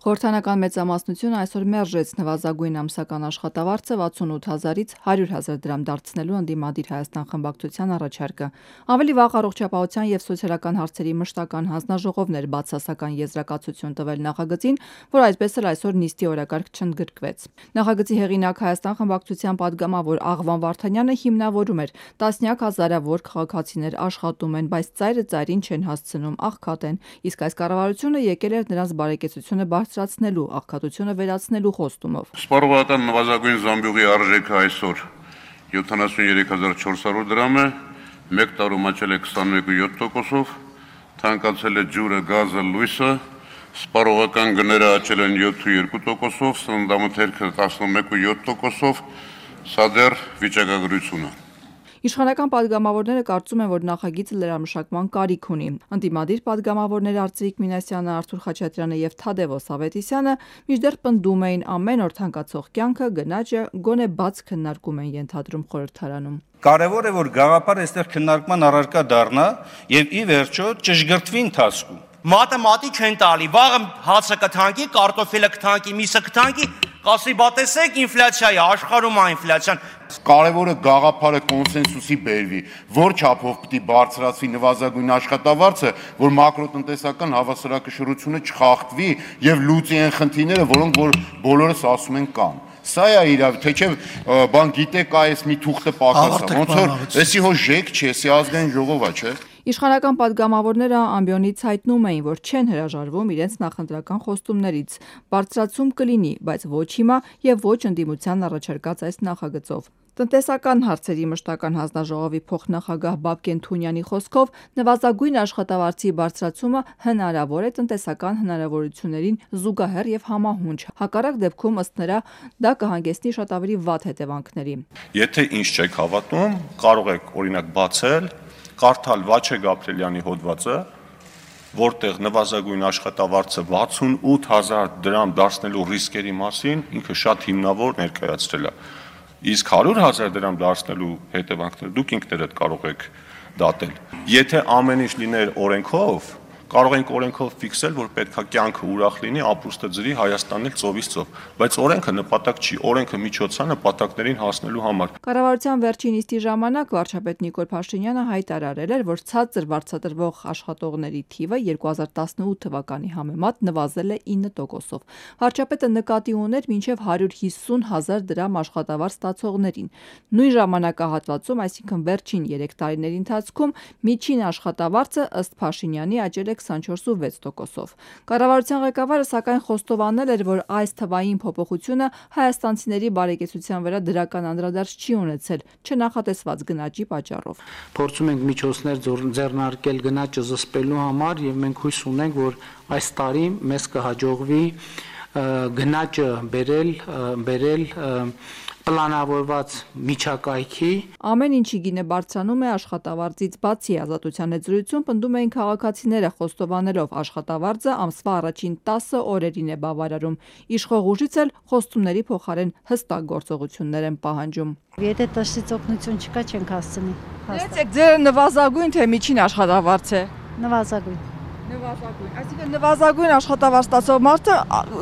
Խորհրդանական մեծամասնությունը այսօր մերժեց նվազագույն ամսական աշխատավարձը 68,000-ից 100,000 դրամ դարձնելու ընդդիմադիր Հայաստան խմբակցության առաջարկը։ Ավելի վաղ առողջապահության և սոցիալական հարցերի մշտական հանձնաժողովն էր բացասական եզրակացություն տվել նախագծին, որ այսպես էլ այսօր նիստի օրակարգ չընդգրկվեց։ Նախագծի հեղինակ Հայաստան խմբակցության պատգամավոր Աղվան Վարդանյանը հիմնավորում էր տասնյակ հազարավոր քաղաքացիներ աշխատում են, բայց ծայրը ծայրին չեն հասցնում, աղքատ են, իսկ այս կառավարությունը եկել էր նրանց բարեկեցությունը բարձրացնելու, աղքատությունը վերացնելու խոստումով։ Սպառողական նվազագույն զամբյուղի արժեքը այսօր 73,400 դրամ է, մեկ տարում աճել է 21.7%-ով, թանկացել է ջուրը, գազը, լույսը, սպառողական գները աճել են 7.2%-ով, սննդամթերքը 11.7%-ով, սա դեռ վիճակագրություն է։ Իշխանական պատգամավորները կարծում են, որ նախագիծը լրամշակման կարիք ունի։ Ընդդիմադիր պատգամավորներ Արծվիկ Մինասյանը, Արթուր Խաչատրյանը և Թադևոս Ավետիսյանը մինչդեռ պնդում էին ամեն օր թանկացող կյանքը, գնաճը գոնե բաց քննարկում են ենթադրում խորհրդարանում։ Կարևոր է, որ գաղափարը այստեղ քննարկման առարկա դառնա եւ ի վերջո ճշգրտվի ընթացքում։ Մատը մատի չեն տալի, վաղը հացը կթանկի, կարտոֆիլը կթանկի, միսը կթանկի, կասի բա տեսեք ինֆլյացիա է, աշխարհում է ինֆլյացիան։ Կարևորը գաղափարը կոնսենսուսի բերվի, որ չափով պիտի բարձրացվի նվազագույն աշխատավարձը, որ մակրոտնտեսական հավասարակշռությունը չխախտվի եւ լուծի են խնդիրները, որոնք որ բոլորս ասում են կան։ Սա է իրավ, թե չէ բան գիտեք այս մի թուղթը պակասա, ոնց որ էսի հո ժեք չէ, էսի ազգային ժողով է, չէ։ Իշխանական պատգամավորները ամբիոնից հայտնում էին, որ չեն հրաժարվում իրենց նախընտրական խոստումներից։ Բարձրացում կլինի, բայց ոչ հիմա եւ ոչ ընդդիմության առաջարկած այս նախագծով։ Տնտեսական հարցերի մշտական հանձնաժողովի փոխնախագահ Բաբկեն Թունյանի խոսքով նվազագույն աշխատավարձի բարձրացումը հնարավոր է տնտեսական հնարավորություններին զուգահեռ եւ համահունչ։ Հակառակ դեպքում ըստ նրա դա կհանգեցնի շատ ավելի վատ հետևանքների։ Եթե ինչ չեք հավատում, կարող եք օրինակ բացել, կարդալ Վաչե Գաբրելյանի հոդվածը, որտեղ նվազագույն աշխատավարձը 68,000 դրամ դարձնելու ռիսկերի մասին ինքը շատ հիմնավոր ներկայացրել է։ Իսկ 100,000 դրամ դարձնելու հետևանքները դուք ինքներդ կարող եք դատել։ Եթե ամեն ինչ լիներ օրենքով, կարող ենք օրենքով ֆիքսել, որ պետքա կյանքը ուրախ լինի, ապրուստը ջրի, Հայաստանն էլ ծովից ծով, բայց օրենքը նպատակ չի, օրենքը միջոց է նպատակներին հասնելու համար։ Կառավարության վերջին նիստի ժամանակ վարչապետ Նիկոլ Փաշինյանը հայտարարել էր, որ ցածր վարձատրվող աշխատողների թիվը 2018 թվականի համեմատ նվազել է 9%-ով։ Վարչապետը նկատի ուներ մինչև 150,000 դրամ աշխատավարձ ստացողներին։ Նույն ժամանակահատվածում, այսինքն վերջին 3 տարիների ընթացքում միջին աշխատավարձը ըստ Փաշինյանի աճել է 24.6%-ով։ Կառավարության ղեկավարը սակայն խոստովանել էր, որ այս թվային փոփոխությունը հայաստանցիների բարեկեցության վրա դրական անդրադարձ չի ունեցել չնախատեսված գնաճի պատճառով։ Փորձում ենք միջոցներ ձեռնարկել գնաճը զսպելու համար եւ մենք հույս ունենք, որ այս տարի մեզ կհաջողվի գնաճը բերել պլանավորված միջակայքի։ Ամեն ինչի գինը բարձրանում է աշխատավարձից բացի ազատության հետ զրույցում պնդում էին քաղաքացիները խոստովանելով աշխատավարձը ամսվա առաջին 10 օրերին է բավարարում։ Իշխող ուժից էլ խոստումների փոխարեն հստակ գործողություններ են պահանջում։ Եթե տշից օգնություն չկա, չենք հասցնի։ Դերեցեք ձեր նվազագույն թե միջին աշխատավարձ է։ Նվազագույն։ Այսինքն նվազագույն աշխատավարձ ստացող մարդը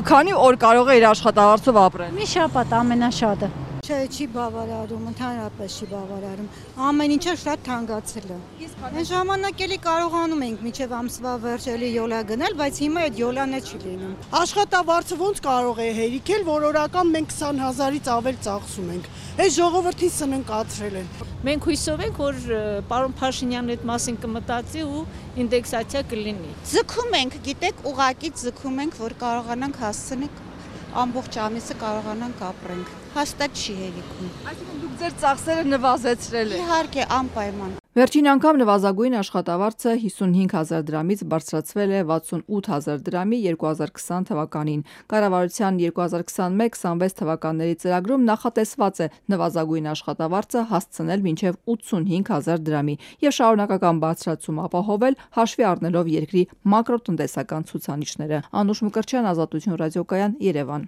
քանի օր կարող է իր աշխատավարձով ապրել։ Մի շաբաթ ամենաշատը։ Չի բավարարում, ընդհանրապես չի բավարարում։ Ամեն ինչը շատ թանկացել է։ Այն ժամանակ էլի կարողանում ենք մինչև ամսվա վերջ էլի յոլա գնել, բայց հիմա այդ յոլանը չի լինում։ Աշխատավարձը ոնց կարող է հերիքել, որ օրական մենք 20,000-ից ավել ծախսում ենք։ Այս ժողովրդին սննկացրել են։ Մենք հույսով ենք, որ պարոն Փաշինյանն այդ մասին կմտածի ու ինդեքսացիա կլինի։ Ձգում ենք, գիտեք, ուղղակի ձգում ենք, որ կարողանանք հասցնել ամբողջ ամիսը կարողանանք ապրենք։ Հաստատ չի հերիքում։ Այսինքն դուք ձեր ծախսերը նվազեցրել եք։ Իհարկե, անպայման։ Վերջին անգամ նվազագույն աշխատավարձը 55,000 դրամից բարձրացվել է 68,000 դրամի 2020 թվականին։ Կառավարության 2021-26 թվականների ծրագրում նախատեսված է նվազագույն աշխատավարձը հասցնել մինչև 85,000 դրամի եւ շարունակական բարձրացում ապահովել հաշվի առնելով երկրի մակրոտնտեսական ցուցանիշները։ Անուշ Մկրտչյան, Ազատություն ռադիոկայան, Երևան։